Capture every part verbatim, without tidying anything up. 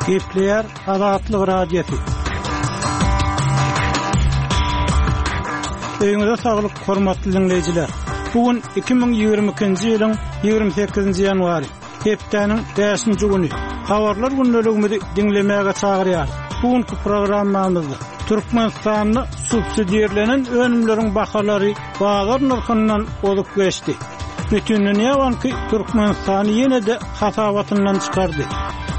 Gepleýär Azatlyk Radiosy. Öýüňize saglyk, hormatly dinleýjiler. Bu gün iki müň ýigrimi ikinji ýylyň ýigrimi sekizinji ýanwary, hepdäniň bäşinji güni. Habarlar gündeligimizi diňlemäge çagyrýar. Bu günki programmamyzda Türkmenistanda subsidirlenen önümleriň bahalary bazar nyrhyndan ozup geçdi. Bütindünýä Banky Türkmenistany ýene-de hasabatyndan çykardy.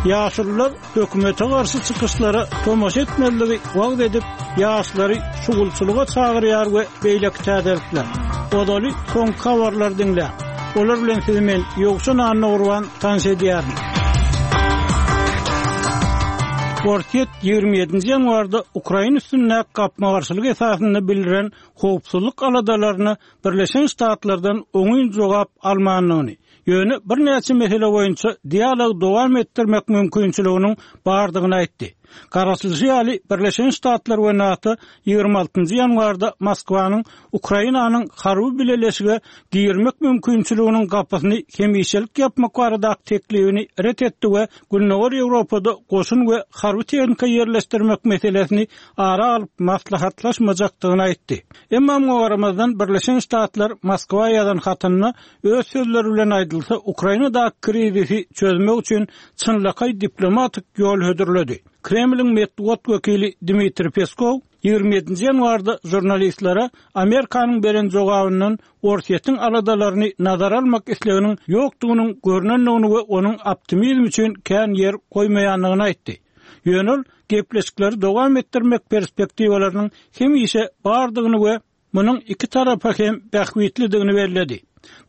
Ýaşulular hökümete garşy çykyşlara tomaşa etmezligi wagyz edip, ýaşlary şugulçylyga çagyrýar we beýleki täzelikler. Ozaly soňky habarlary diňläň. Olar bilen sizi men Ýowşan Annagurban tanyş edýärin. Orsýet ýigrimi ýedinji ýanwarda Ukraina üstündäki gapma-garşylyk esasynda bildiren howpsuzlyk aladalaryna Birleşen Ştatlardan oňyn jogap almandygyny, ýöne birnäçe mesele boýunça dialog dowam etdirmek mümkinçiliginiň bardygyny aýtdy. Garaşylyşy ýaly, Birleşen Ştatlar we NATO ýigrimi altynjy ýanwarda Moskwanyň Ukrainanyň harby bileleşige girmek mümkinçiliginiň gapysyny hemişelik ýapmak baradaky teklibini ret etdi we Gündogar Ýewropada goşun we harby tehnika ýerleşdirmek meselesini ara alyp maslahatlaşmajakdygyny aýtdy. Emma muňa garamazdan Birleşen Ştatlar Moskwa ýazan hatynda öz sözleri bilen aýdylsa, Ukrainadaky krizisi çözmek üçin çynlakaý diplomatik ýol hödürledi. Kremliň metbugat wekili Dmitriý Peskow ýigrimi ýedinji ýanwarda žurnalistlere Amerikanyň beren jogabyndan Orsýetiň aladalaryny nazara almak isleginiň ýokdugynyň görnendigini we onuň optimizm üçin kän ýer goýmaýandygyny aýtdy. Ýöne ol gepleşikleri dowam etdirmek perspektiwalarynyň hemişe bardygyny we munuň iki tarapa hem bähbitlidigini belledi.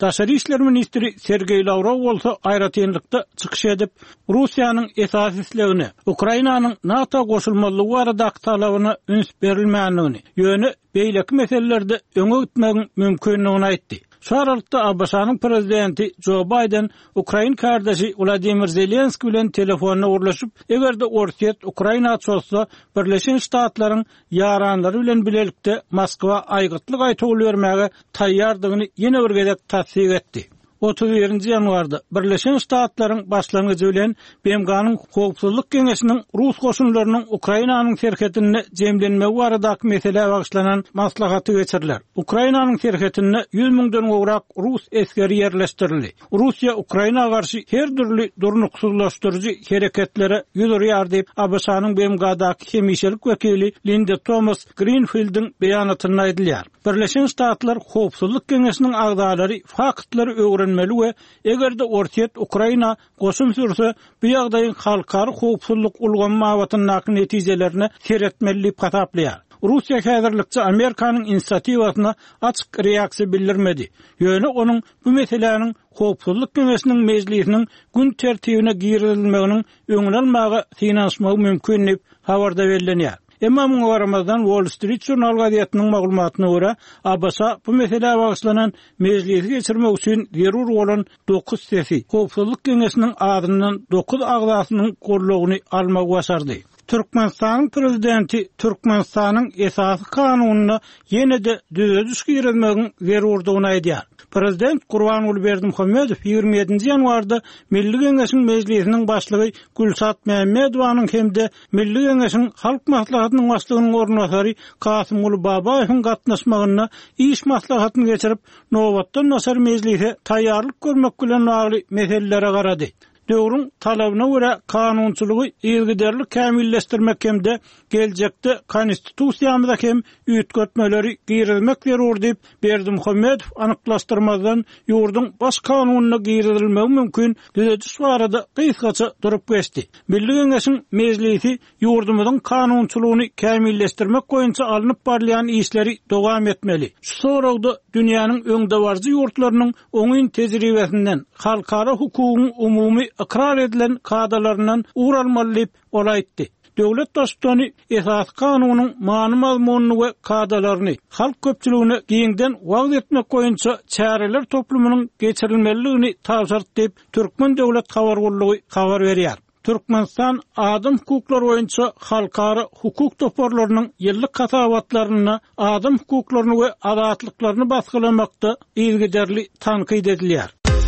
Daşary işler ministri Sergeý Lawrow bolsa aýratynlykda çykyş edip, Russiýanyň esasy islegine, Ukrainanyň NATO goşulmazlygy baradaky talabyna üns berilmändigini, ýöne beýleki meselelerde öňe gitmegiň mümkindigini aýtdy. Şu aralykda A B Ş-nyň prezidenti Jo Bayden Ukrain kardeşi Wladimir Zelenski bilen telefonda gürleşip, eger-de Orsýet Ukraina çozsa, Birleşen Ştatlaryň ýaranlary bilen bilelikde Moskwa aýgytly gaýtawul bermäge taýýardygyny ýene bir gezek tassyk etdi. Otuz birinji ýanwarda Birleşen Ştatlaryň başlangyjy bilen B M G-nyň Howpsuzlyk Geňeşiniň Rus goşunlarynyň Ukrainanyň serhedinde jemlenmegi baradaky meselä bagyşlanan maslahaty geçiriler. Ukrainanyň serhedinde ýüz müňden gowrak Rus esgeri ýerleşdirildi. Russiýa Ukraina garşy her dürli durnuksyzlaşdyryjy hereketlere ýüz urýar diýip, A B Ş-nyň B M G-daky hemişelik wekili Linda Thomas Greenfieldiň beýanatynda aýdylýar. Birleşen Ştatlar Howpsuzlyk Geňeşiniň agzalary faktlary öwrenmeli we eger-de Orsýet Ukraina goşun sürse, bu ýagdaýyň halkara howpsuzlyk ulgamy babatyndaky netijelerine seretmeli diýip hasaplaýar. Russiýa häzirlikçe Amerikanyň inisiatiwasyna açyk reaksiýa bildirmedi. Ýöne onuň bu meseläniň Howpsuzlyk Geňeşiniň mejlisiniň gün tertibine girizilmeginiň öňüni almaga synanyşmagy mümkin diýip habarda bellenýär. Emma muňa garamazdan Wall Street Journal gazetiniň maglumatyna görä, A B Ş bu meselä bagyşlanan mejlisi geçirmek üçin zerur bolan dokuz sesi Howpsuzlyk Geňeşiniň adyndan dokuz agzasynyň goldawyny almagy başardy. Türkmenistanyň prezidenti Türkmenistanyň esasy kanunyna ýene-de düzediş girizmegiň zerurdygyny aýdýar. Prezident Gurbanguly Berdimuhamedow ýigrimi ýedinji ýanwarda Milli Geňeşiň Mejlisiniň başlygy Gülşat Mämmedowanyň hem-de Milli Geňeşiň Halk Maslahatynyň başlygynyň orunbasary Kasymguly Babaýewiň gatnaşmagynda iş maslahatyny geçirip, nobatdan daşary mejlise taýýarlyk görmek bilen bagly meselelere garady. Döwrüň talabyna görä kanunçylygy yzygiderli kämilleşdirmek hem-de geljekde konstitusiýamyza hem üýtgetmeleri girizmek zerur diýip Berdimuhamedow anyklaşdyrmazdan ýurduň baş kanunyna girizilmegi mümkin düzediş barada gysgaça durup geçdi. Milli Geňeşiň mejlisi ýurdumyzyň kanunçylygyny kämilleşdirmek boýunça alnyp barylýan işleri dowam etmeli. Şu soragda dünýäniň öňdebaryjy ýurtlarynyň oňyn tejribesinden, halkara hukugyň umumy ykrar edilen kadalaryndan ugur almaly diýip ol aýtdy. Döwlet baştutany esasy kanunyň many-mazmunyny we kadalaryny halk köpçüligine giňden wagyz etmek boýunça çäreler toplumynyň geçirilmelidigini tabşyrdy diýip Türkmen Döwlet Habar Gullugy habar berýär. Türkmenistan adam hukuklary boýunça halkara hukuk toparlarynyň ýyllyk hasabatlarynda adam hukuklaryny we azatlyklaryny basgylamakda yzygiderli tankyt edilýär.